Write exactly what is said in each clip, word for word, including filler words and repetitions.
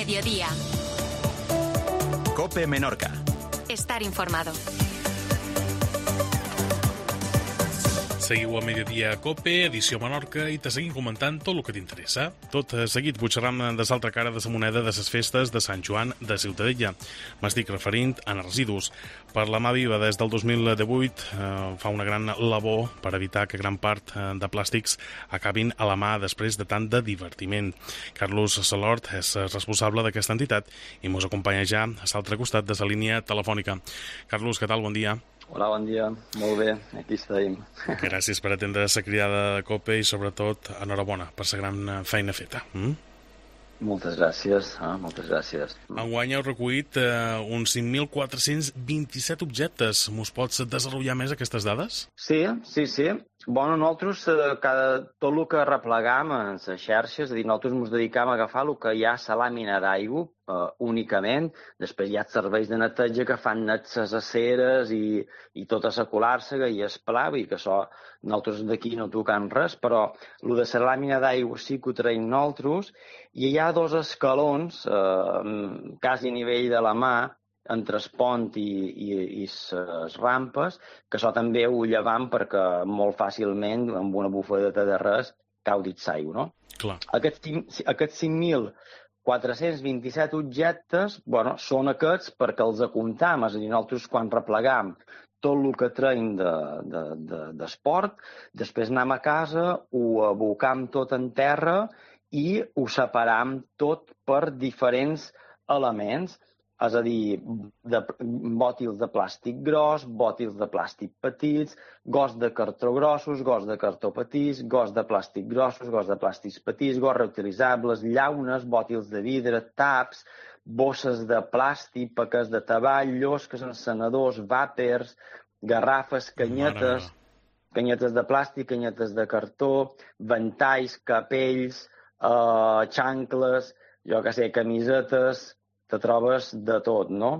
mediodía. COPE Menorca. Estar informado. Seguiu a Mediodía a COPE, edició Menorca, i te seguim comentant tot el que t'interessa. Tot seguit pujarem de l'altra cara de la moneda de les festes de Sant Joan de Ciutadella. M'estic referint a residus. Per la mà viva, des del dos mil divuit, eh, fa una gran labor per evitar que gran part de plàstics acabin a la mà després de tant de divertiment. Carlos Salort és responsable d'aquesta entitat i mos acompanya ja a l'altre costat de la línia telefònica. Carlos, què tal? Bon dia. Hola, bon dia. Molt bé, aquí estem. Gràcies per atendre la cridada de COPE i, sobretot, enhorabona per la gran feina feta. Mm? Moltes gràcies, ah, moltes gràcies. Enguany heu recollit eh, uns cinc mil quatre-cents vint-i-set objectes. Mos pots desenvolupar més aquestes dades? Sí, sí, sí. Bueno, nosaltres, eh, cada, tot el que replegam en les xarxes, és a dir, nosaltres ens dedicam a agafar el que hi ha a la làmina d'aigua eh, únicament. Després hi ha serveis de neteja que fan net les aceres i, i tota la colàrsega i el pla, vull dir que això nosaltres d'aquí no tocam res, però el de la làmina d'aigua sí que ho traiem nosaltres, i hi ha dos escalons, eh, quasi a nivell de la mà, entre el pont i, i, i les rampes, que això també ho llevam perquè molt fàcilment, amb una bufadeta de res, cau dins l'aigua, no? Clar. Aquests, aquests cinc mil quatre-cents vint-i-set objectes, bueno, són aquests perquè els apuntam, és a dir, nosaltres quan replegam tot el que traiem d'esport, de, de, després anem a casa, ho abocam tot en terra i ho separam tot per diferents elements. És a dir, de, bòtils de plàstic gros, bòtils de plàstic petits, gos de cartró grossos, gos de cartró petits, gos de plàstic grossos, gos de plàstics petits, gos reutilitzables, llaunes, bòtils de vidre, taps, bosses de plàstic, paquets de tabac, llosques, encenedors, vàpers, garrafes, canyetes, canyetes de plàstic, canyetes de cartó, ventalls, capells, eh, xancles, jo que sé, camisetes, te trobes de tot, no?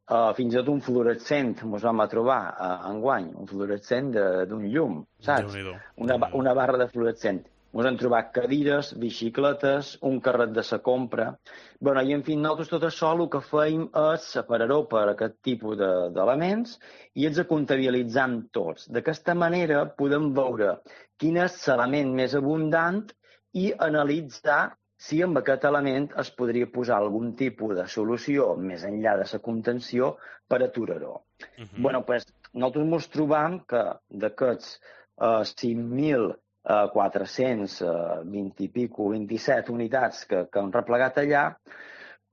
Uh, fins i tot un fluorescent ens vam a trobar uh, enguany, un fluorescent d'un llum, saps? Una, una barra de fluorescent. Ens hem trobat cadires, bicicletes, un carret de sa compra. Bueno, i en fi, nosaltres tot això el que feim és separar-ho per aquest tipus d'elements i els comptabilitzam tots. D'aquesta manera podem veure quin és l'element més abundant i analitzar si amb aquest element es podria posar algun tipus de solució més enllà de la contenció per aturar-ho. Uh -huh. Bueno, pues, nosaltres ens trobam que d'aquests uh, cinc mil quatre-cents vint i pico, vint-i-set unitats que, que han replegat allà,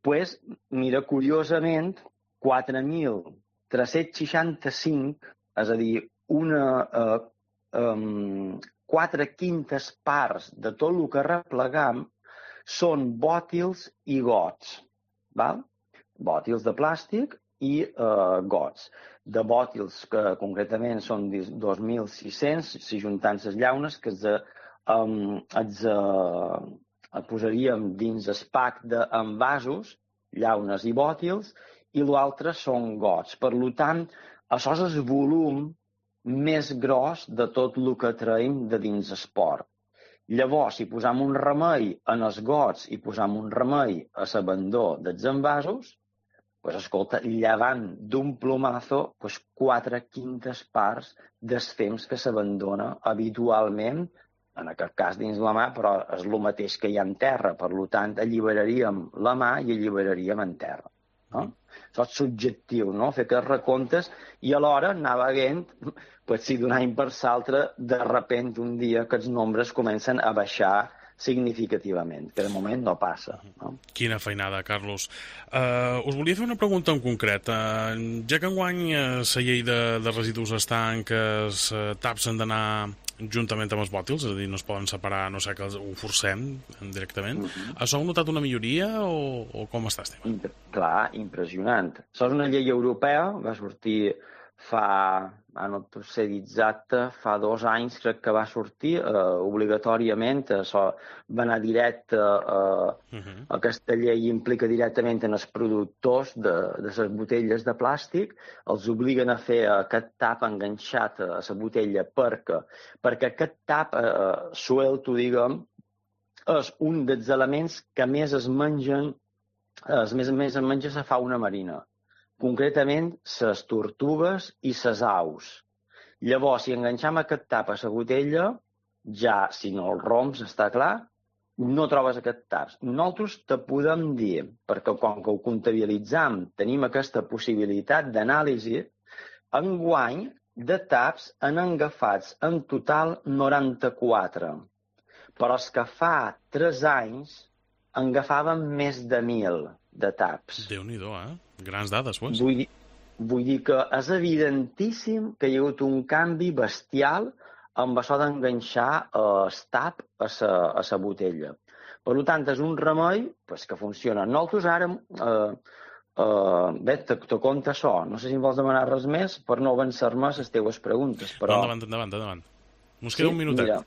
pues, mira, curiosament, quatre mil tres-cents seixanta-cinc, és a dir, una, uh, um, quatre quintes parts de tot el que replegam, són bòtils i gots, val? Bòtils de plàstic i eh, gots. De bòtils que concretament són dos mil sis-cents, si juntant les llaunes, que els, um, els uh, posaríem dins el pack d'envasos, llaunes i bòtils, i l'altre són gots. Per tant, això és el volum més gros de tot el que traiem de dins esport. Llavors, si posam un remei en els gots i posam un remei a l'abandó dels envasos, pues, escolta, llevant d'un plomazo pues, quatre quintes parts del temps que s'abandona habitualment, en aquest cas dins la mà, però és el mateix que hi ha en terra. Per tant, alliberaríem la mà i alliberaríem en terra. No? Això és subjectiu, no? Fer aquests recomptes i alhora anar veient pues, si d'un any per l'altre, de repente un dia aquests nombres comencen a baixar significativament, que de moment no passa. No? Quina feinada, Carlos. Uh, us volia fer una pregunta en concret. Uh, ja que enguany la uh, llei de, de residus està en que els uh, taps han d'anar juntament amb els bòtils, és a dir, no es poden separar, no sé, que ho forcem directament. Uh-huh. Això heu notat una milloria o, o com està el tema? Imp Clar, impressionant. Això és una llei europea, va sortir fa, no et sé dir exacte, fa dos anys crec que va sortir, eh, obligatòriament, això va anar directe, eh, uh-huh. Aquesta llei implica directament en els productors de, de les botelles de plàstic, els obliguen a fer aquest tap enganxat a la botella perquè, perquè aquest tap eh, suelto, diguem, és un dels elements que més es mengen es més a més en menja la fauna marina, concretament les tortugues i les aus. Llavors, si enganxam aquest tap a la botella, ja, si no el romps, està clar, no trobes aquest tap. Nosaltres te podem dir, perquè com que ho comptabilitzam, tenim aquesta possibilitat d'anàlisi, enguany de taps han agafats en total noranta-quatre. Però els que fa tres anys en agafaven més de mil de taps. Déu-n'hi-do, eh? Grans dades, pues. Vull dir, vull dir que és evidentíssim que hi ha hagut un canvi bestial amb això d'enganxar el tap a la, a la botella. Per tant, és un remei pues, que funciona. Nosaltres ara, eh, eh, bé, te, te conta això. No sé si em vols demanar res més per no avançar-me les teves preguntes. Però... Endavant, endavant, endavant. Ens queda sí? un minutet. Mira,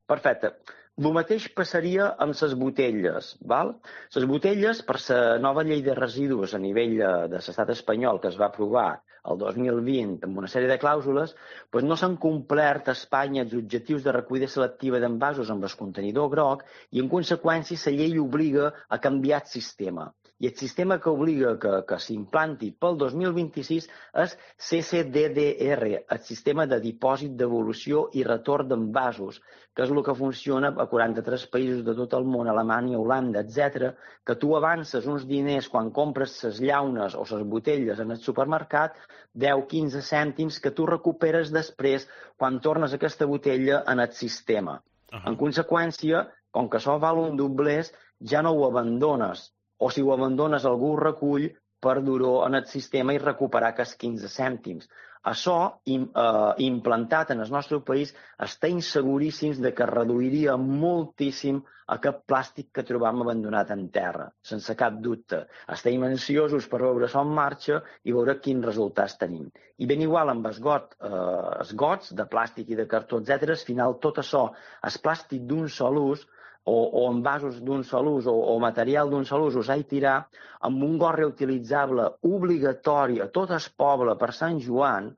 perfecte. El mateix passaria amb les botelles. Val? Les botelles, per la nova llei de residus a nivell de l'estat espanyol que es va aprovar el dos mil vint amb una sèrie de clàusules, doncs no s'han complert a Espanya els objectius de recollida selectiva d'envasos amb el contenidor groc i, en conseqüència, la llei obliga a canviar el sistema. I el sistema que obliga que, que s'implanti pel dos mil vint-i-sis és C C D D R, el sistema de dipòsit, devolució i retorn d'envasos, que és el que funciona a quaranta-tres països de tot el món, Alemanya, Holanda, etcètera, que tu avances uns diners quan compres les llaunes o les botelles en el supermercat, deu a quinze cèntims que tu recuperes després quan tornes aquesta botella en el sistema. Uh -huh. En conseqüència, com que això val un doblers, ja no ho abandones. O si ho abandones, algú ho recull per dur-ho en el sistema i recuperar aquests quinze cèntims. Això, im, eh, implantat en el nostre país, estem seguríssims de que reduiria moltíssim aquest plàstic que trobam abandonat en terra, sense cap dubte. Estem ansiosos per veure això en marxa i veure quins resultats tenim. I ben igual amb els got, eh, els gots de plàstic i de cartó, etcètera, al final tot això, el plàstic d'un sol ús, o, o envasos d'un sol ús o, o material d'un sol ús, us he tirar amb un got reutilitzable obligatori a tot el poble per Sant Joan,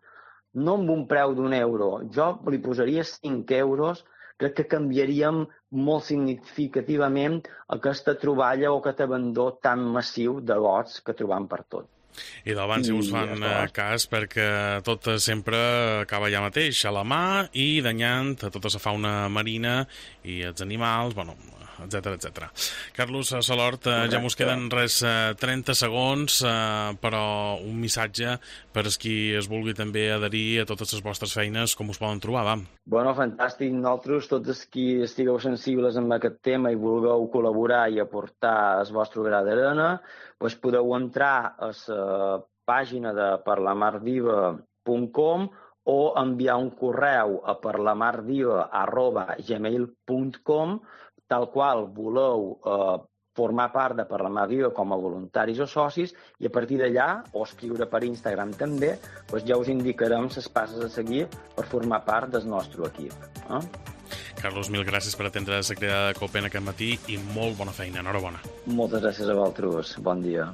no amb un preu d'un euro, jo li posaria cinc euros, crec que canviaríem molt significativament aquesta troballa o aquest abandó tan massiu de gots que trobam per tot. I d'abans si us fan ja cas perquè tot sempre acaba allà mateix, a la mà i danyant a tota la fauna marina i els animals, bueno, etcètera, etcètera. Carlos Salort, eh, ja mos queden res eh, trenta segons, eh, però un missatge per als qui es vulgui també adherir a totes les vostres feines, com us poden trobar, va? Bueno, fantàstic. Nosaltres, tots els qui estigueu sensibles amb aquest tema i vulgueu col·laborar i aportar el vostre gra d'arena, doncs podeu entrar a la pàgina de parlamarviva punt com o enviar un correu a parlamarviva arroba gmail punt com, tal qual voleu eh, formar part de Parlar Viva com a voluntaris o socis, i a partir d'allà, o escriure per Instagram també, doncs ja us indicarem les passes a seguir per formar part del nostre equip. Eh? Carlos, mil gràcies per atendre la crida de Copen aquest matí i molt bona feina. Enhorabona. Moltes gràcies a vosaltres. Bon dia.